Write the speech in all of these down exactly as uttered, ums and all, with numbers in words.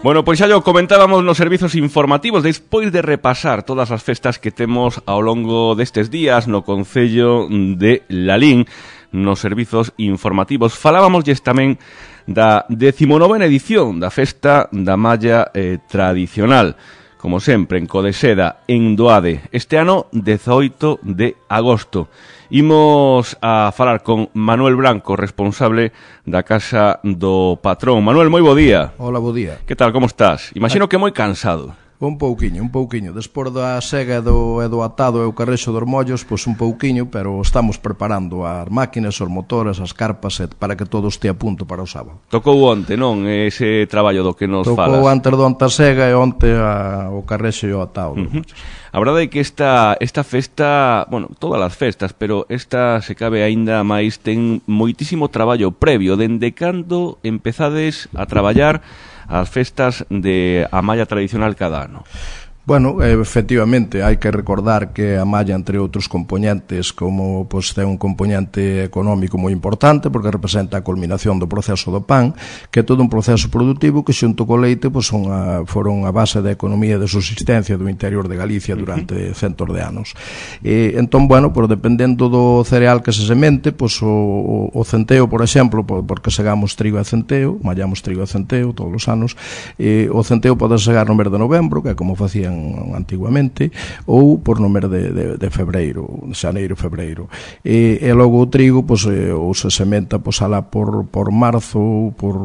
Bueno, pois xa lo comentábamos nos servizos informativos despois de repasar todas as festas que temos ao longo destes días no concello de Lalín, nos servizos informativos. Falábamosles tamén da decimonovena edición da Festa da Malla eh, Tradicional, como sempre, en Codeseda, en Doade, este ano dezoito de agosto. Imos a falar con Manuel Branco, responsable da Casa do Patrón. Manuel, moi bo día. Hola, bo día. Que tal, como estás? Imagino que moi cansado. Un pouquiño, un pouquiño. Despois da sega do, e do atado e o carrexo dos mollos, pois un pouquiño, pero estamos preparando as máquinas, os motores, as carpas, para que todo este a punto para o sábado. Tocou onte, non? Ese traballo do que nos Tocou falas. Tocou antes do onte a sega e onte a, o carrexo e o atado. Uh-huh. A verdade é que esta, esta festa, bueno, todas as festas, pero esta se cabe aínda máis, ten moitísimo traballo previo. Dende cando empezades a traballar as festas de a malla tradicional cada ano? Bueno, efectivamente, hai que recordar que a malla, entre outros componentes, como pois, ten un componente económico moi importante, porque representa a culminación do proceso do pan, que é todo un proceso productivo que xunto co leite pois, son a, foron a base da economía de subsistencia do interior de Galicia durante centos de anos. E, entón, bueno, pois, dependendo do cereal que se semente, pois, o, o centeo, por exemplo, porque segamos trigo e centeo, mallamos trigo e centeo todos os anos, e, o centeo pode segar no mes de novembro, que é como facían antiguamente, ou por no mes de, de, de febreiro, xaneiro, febreiro. E, e logo o trigo, pois, ou se sementa pois, alá por, por marzo, por,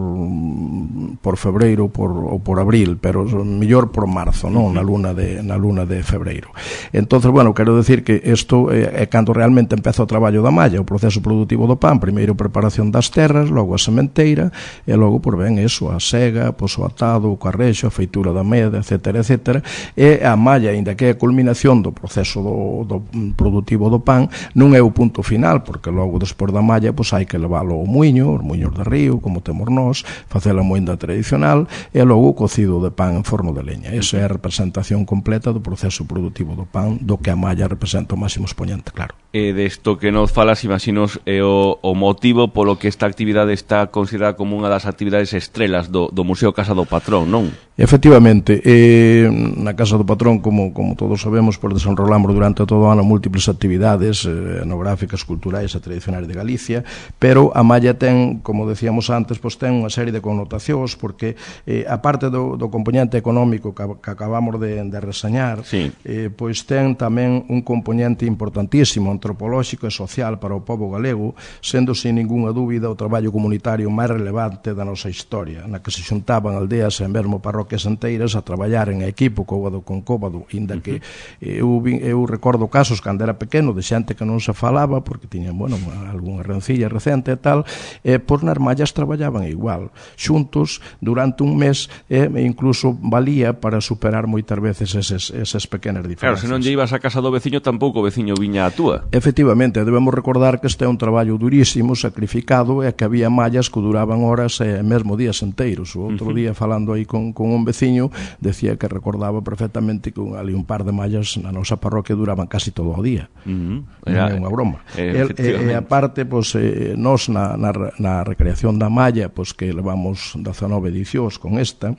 por febreiro, por, ou por abril, pero mellor por marzo, non? Na luna de, na luna de febreiro. Entonces, bueno, quero decir que isto é, é cando realmente empeza o traballo da malla, o proceso productivo do pan, primeiro preparación das terras, logo a sementeira, e logo, por ben, eso, a sega, pois, o atado, o carrexo, a feitura da meda, etcétera, etcétera, e a malla, ainda que é a culminación do proceso do, do productivo do pan, non é o punto final, porque logo despois da malla pois hai que leválo ao muiño, os muiños de río, como temos nós, facer a moenda tradicional, e logo o cocido de pan en forno de leña. Esa é a representación completa do proceso productivo do pan, do que a malla representa o máximo exponente, claro. E desto que nos falas, imaginos, é o, o motivo polo que esta actividade está considerada como unha das actividades estrelas do, do Museo Casa do Patrón, non? Efectivamente, eh, na Casa do Patrón, como, como todos sabemos, pues, desenrolamos durante todo o ano múltiples actividades eh, etnográficas, culturais e tradicionais de Galicia, pero a malla ten, como decíamos antes, pues, ten unha serie de connotacións, porque eh, a parte do, do componente económico que, que acabamos de, de reseñar, sí. eh, pois ten tamén un componente importantísimo, antropolóxico e social para o pobo galego, sendo sin ninguna dúbida o traballo comunitario máis relevante da nosa historia, na que se xuntaban aldeas e mesmo parroquias enteiras a traballar en equipo, cóbado con cóbado, inda que eu, eu recordo casos cando era pequeno de xente que non se falaba porque tiñan, bueno, algunha rencilla recente e tal, e por nas mallas traballaban igual, xuntos durante un mes, e incluso valía para superar moitas veces eses, esas pequenas diferencias. Claro, se non lle ibas a casa do veciño, tampouco o veciño viña a túa. Efectivamente, debemos recordar que este é un traballo durísimo, sacrificado, e que había mallas que duraban horas e mesmo días enteiros. O outro uh-huh. día, falando aí con, con un veciño, decía que recordaba perfectamente que ali un par de mallas na nosa parroquia duraban casi todo o día. Uh-huh. Era, non é unha broma. E, e, e aparte, pues, eh, nos na, na, na recreación da malla, pues, que levamos dezanove edicións con esta,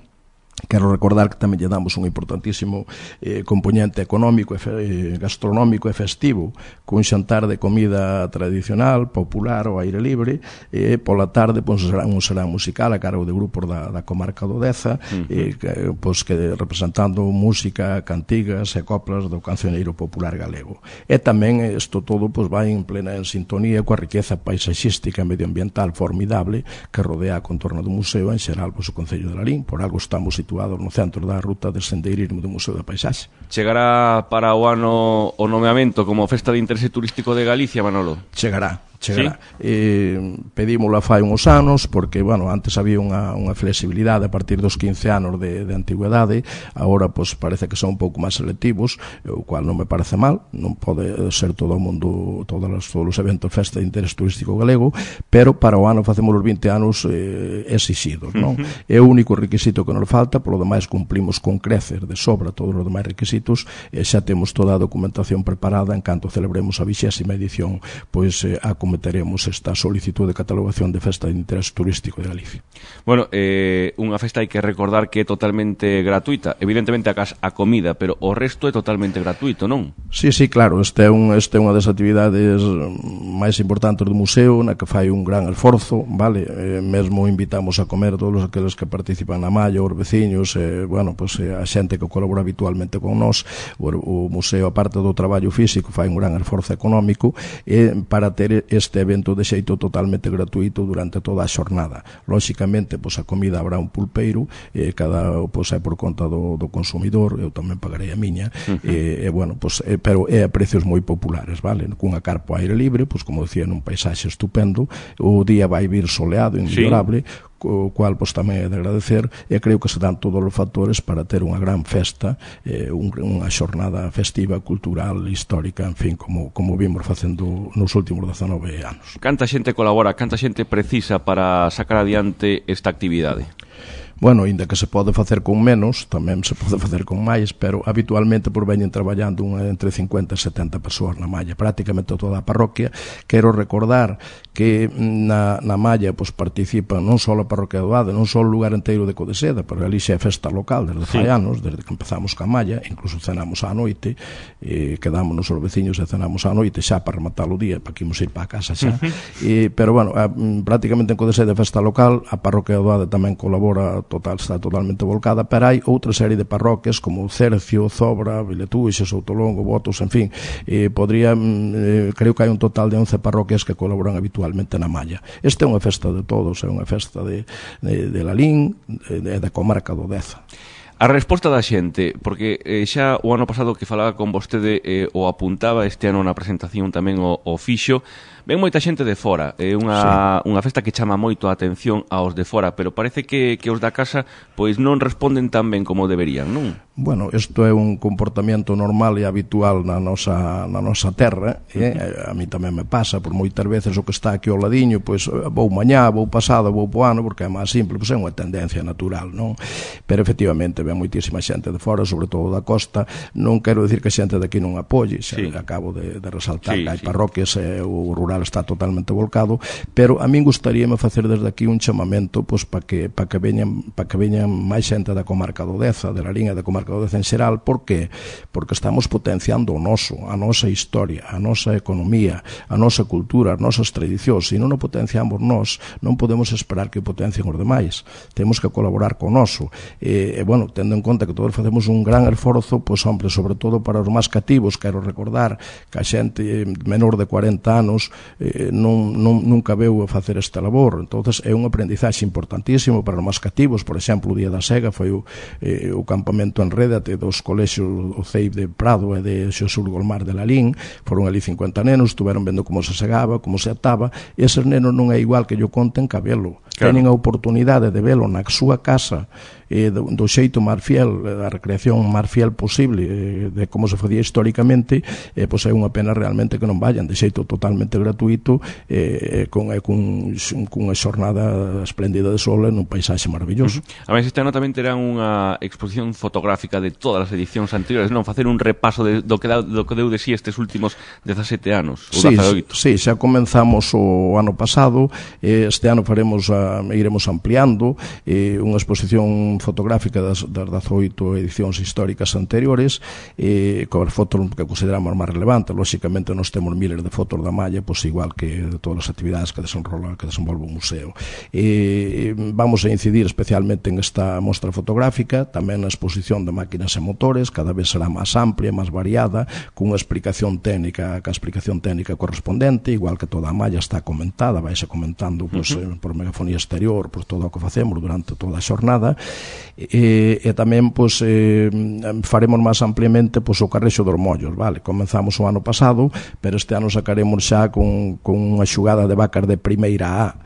quero recordar que tamén lle damos un importantísimo eh, componente económico, e fe, eh, gastronómico e festivo, cun xantar de comida tradicional, popular, ao aire libre, e eh, pola tarde pois, será un serán musical a cargo de grupos da, da comarca do Deza, uh-huh. eh, que, pois, que representando música, cantigas e coplas do cancioneiro popular galego. E tamén isto todo pois, vai en plena en sintonía coa riqueza paisaxística e medioambiental formidable que rodea a contorno do museo, en xeral pois, o Concello de Lalín. Por algo estamos situados no centro da ruta de sendeirismo do Museo da Paisaxe. Chegará para o ano o nomeamento como Festa de Interese Turístico de Galicia, Manolo? Chegará. chegará. ¿Sí? Eh, pedímola fai uns anos, porque, bueno, antes había unha, unha flexibilidade a partir dos quince anos de, de antigüedade, agora, pois, parece que son un pouco máis selectivos, o cual non me parece mal, non pode ser todo o mundo, todos os, todos os eventos festa de interés turístico galego, pero para o ano facemos os vinte anos eh, exixidos, non? Uh-huh. É o único requisito que nos falta, polo demais cumplimos con creces de sobra todos os demais requisitos, e xa temos toda a documentación preparada en canto celebremos a vixésima edición, pois, eh, a acometeremos esta solicitud de catalogación de festa de interés turístico de Galicia. Bueno, eh, unha festa hai que recordar que é totalmente gratuita, evidentemente a, a comida, pero o resto é totalmente gratuito, non? Sí, sí, claro, este é, un, este é unha das actividades máis importantes do museo, na que fai un gran esforzo, vale? Eh, mesmo invitamos a comer todos aqueles que participan na malla, os veciños, eh, bueno, pues, eh, a xente que colabora habitualmente con nós. O, o museo, aparte do traballo físico, fai un gran esforzo económico eh, para ter este evento de xeito totalmente gratuito durante toda a xornada. Lóxicamente, pues, a comida habrá un pulpeiro, eh, cada pues, é por conta do, do consumidor, eu tamén pagarei a miña, uh -huh. eh, eh, bueno, pues, eh, pero é a precios moi populares, vale? Cunha carpa ao aire libre, pues, como decía, nun paisaxe estupendo, o día vai vir soleado, inmellorable, sí. O cual pues, tamén é de agradecer, e creo que se dan todos os factores para ter unha gran festa, eh, un, unha xornada festiva, cultural, histórica, en fin, como, como vimos facendo nos últimos dezanove anos. Canta xente colabora, canta xente precisa para sacar adiante esta actividade? Bueno, ainda que se pode facer con menos, tamén se pode facer con máis, pero habitualmente por veñen traballando unha, entre cincuenta e setenta persoas na malla, prácticamente toda a parroquia. Quero recordar que na, na malla pues, participan non só a parroquia do Ade, non só o lugar inteiro de Codeseda, pero ali xa é festa local desde fai sí. anos, desde que empezamos ca malla, incluso cenamos á noite, eh, quedámonos os veciños e cenamos á noite xa para rematar o día, para que imos ir para a casa xa. Uh -huh. eh, pero bueno, a, prácticamente en Codeseda é festa local, a parroquia do Ade tamén colabora total, está totalmente volcada, pero hai outra serie de parroquias como Cercio, Zobra, Viletuixe, Soutolongo, Botos, en fin, eh, podría, eh, creo que hai un total de once parroquias que colaboran habitualmente na malla. Esta é unha festa de todos, é unha festa de, de, de Lalín, de, de, da comarca do Deza. A resposta da xente, porque eh, xa o ano pasado que falaba con vostede eh, o apuntaba, este ano na presentación tamén o, o fixo, ven moita xente de fora, é unha, sí. unha festa que chama moito a atención aos de fora, pero parece que, que os da casa pois non responden tan ben como deberían, non? Bueno, isto é un comportamento normal e habitual na nosa, na nosa terra, eh? A mí tamén me pasa, por moitas veces o que está aquí ao ladiño, pois vou mañá, vou pasado, vou po ano, porque é máis simple, pois é unha tendencia natural, non? Pero efectivamente ven moitísima xente de fora, sobre todo da costa. Non quero dicir que a xente de aquí non apoie, xa sí. acabo de, de resaltar sí, que hai sí. parroquias e o rural está totalmente volcado, pero a min gustaríame facer desde aquí un chamamento pois para que para que veñan para que veñan máis xente da comarca do Deza, de la liña da comarca do Deza en xeral. Por que? Porque estamos potenciando o noso, a nosa historia, a nosa economía, a nosa cultura, as nosas tradicións. Se non o potenciamos nós, non podemos esperar que potencien os demais. Temos que colaborar con o noso. E, e bueno, tendo en conta que todos facemos un gran esforzo, pois, hombre, sobre todo para os máis cativos, quero recordar que a xente menor de cuarenta anos eh, non, non, nunca veu a facer esta labor. Entonces é un aprendizaxe importantísimo para os máis cativos. Por exemplo, o Día da Sega foi o, eh, o campamento en Rédate dos colexios o C E I de Prado e de Xosur Golmar de Lalín. Foron ali cincuenta nenos, estuveron vendo como se segaba, como se ataba, e eses nenos non é igual que yo conten que a velo. Claro. Tenen a oportunidade de velo na súa casa, eh, do, do xeito máis fiel, a recreación máis fiel posible, eh, de como se facía históricamente, eh, pois é unha pena realmente que non vayan de xeito totalmente gratuito, eh, con, eh, con, con unha xornada espléndida de sol nun paisaxe maravilloso. Uh-huh. A ver, este ano tamén terán unha exposición fotográfica de todas as edicións anteriores, non? Facer un repaso de, do, que da, do que deu de sí estes últimos dezasete anos, ou sí, dezaoito. Sí, xa comenzamos o ano pasado, eh, este ano faremos a, iremos ampliando eh, unha exposición fotográfica das, das dezaoito edicións históricas anteriores, eh, con as fotos que consideramos máis relevantes. Lóxicamente nós temos miles de fotos da malla, pois igual que de todas as actividades que desenrola, que desenvolve o museo. Eh, vamos a incidir especialmente en esta mostra fotográfica, tamén na exposición de máquinas e motores, cada vez será máis amplia, máis variada, cunha explicación técnica, ca explicación técnica correspondente, igual que toda a malla está comentada, vaise comentando pois, uh -huh. por megafonía exterior, por todo o que facemos durante toda a xornada. E, e tamén pois, eh, faremos máis ampliamente pois, o Carrexo dos Mollos, vale? Comenzamos o ano pasado, pero este ano sacaremos xa con, con unha xugada de vacas de primeira A,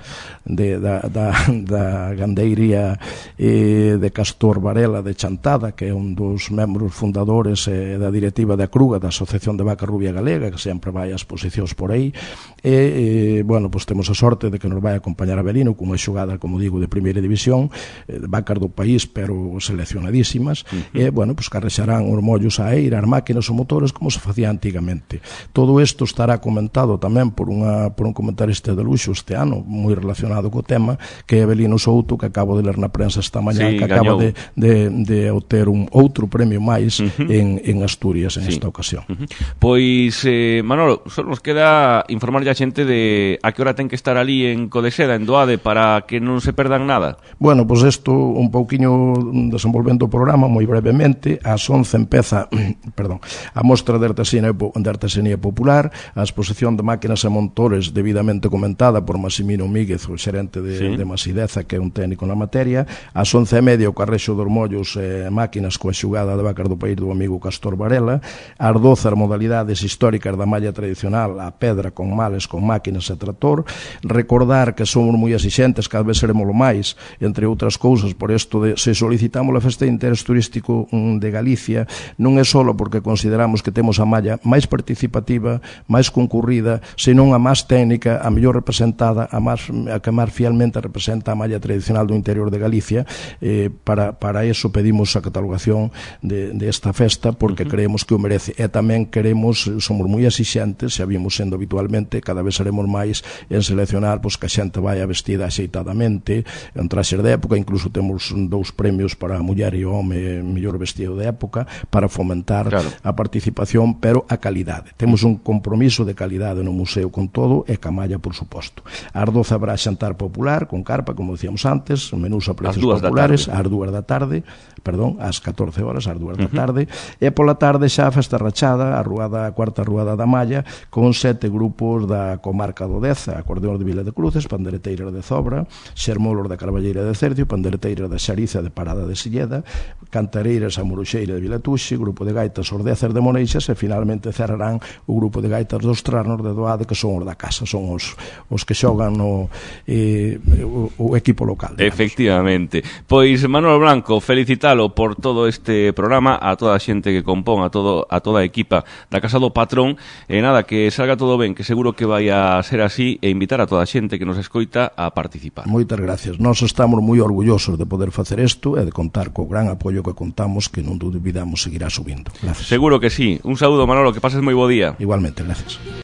de, da, da, da gandeiría eh, de Castor Varela de Chantada, que é un dos membros fundadores eh, da directiva da Cruga, da Asociación de Vaca Rubia Galega, que sempre vai a exposicións por aí. E, eh, bueno, pois temos a sorte de que nos vai acompañar a Belino con unha xugada, como digo, de primeira división, eh, de vacas do país, pero seleccionadísimas. Uh -huh. E, bueno, pois carrexarán os mollos a eira, as máquinas ou motores, como se facía antigamente. Todo isto estará comentado tamén por, unha, por un comentarista de luxo este ano, moi relacionado co tema, que é Belino Souto, que acabo de ler na prensa esta mañá, sí, que acaba de, de, de obter un outro premio máis uh -huh. en, en Asturias en sí. esta ocasión. Uh -huh. Pois, eh, Manolo, só nos queda informarlle a xente de a que hora ten que estar ali en Codeseda, en Doade, para que non se perdan nada. Bueno, pois pues isto, un pouquiño desenvolvendo o programa, moi brevemente, ás once empeza, perdón, a mostra de artesanía, de artesanía popular, a exposición de máquinas e montores debidamente comentada por Massimino Míguez, o xerente de, sí. de Masideza, que é un técnico na materia. Ás once e media o carrexo dos mollos e eh, máquinas coa xugada de vacas do país do amigo Castor Varela. Ás doce as modalidades históricas da malla tradicional, a pedra con males, con máquinas e trator. Recordar que somos moi exixentes, cada vez seremos lo máis, entre outras cousas, por isto de se solicitamos a festa de interés turístico de Galicia, non é só porque consideramos que temos a malla máis participativa, máis concurrida, senón a máis técnica, a mellor representada, a, máis, a que máis fielmente representa a malla tradicional do interior de Galicia. Eh, para, para eso pedimos a catalogación de, de esta festa, porque uh -huh. creemos que o merece, e tamén queremos, somos moi exixentes, xa vimos sendo habitualmente, cada vez seremos máis en seleccionar pois, que a xente vaya vestida axeitadamente, en traxes de época, incluso temos dous premios para a muller e o home mellor vestido de época, para fomentar claro. a participación, pero a calidade. Temos un compromiso de calidade no museo con todo, e ca malla, por suposto. Ás doce habrá xantar popular, con carpa, como decíamos antes, menús a precios populares, ás dúas da tarde, perdón, ás catorce horas, ás dúas da tarde, e pola tarde xa a festa rachada, a ruada, a cuarta ruada da malla, con sete grupos da comarca do Deza, acordeón de Vila de Cruces, pandereteiras de Zobra, xermolos da Carballeira de Cercio, pandereteiras da Xariza de Parada de Silleda, cantareiras a Moruxeira de Vilatuxe, grupo de gaitas os Deces de Moneixas, e finalmente cerrarán o grupo de gaitas dos Trasnos de Doade, que son os da casa, son os, os que xogan no, eh, o, o equipo local. Digamos. Efectivamente. Pois, Manolo Blanco, felicitalo por todo este programa, a toda a xente que compón, a, todo, a toda a equipa da Casa do Patrón, e nada, que salga todo ben, que seguro que vai a ser así, e invitar a toda a xente que nos escoita a participar. Moitas gracias. Nós estamos moi orgullosos de poder facer isto e de contar co gran apoio que contamos, que non dubidamos seguirá subindo. Gracias. Seguro que sí. Un saúdo, Manolo, que pases moi bo día. Igualmente, gracias.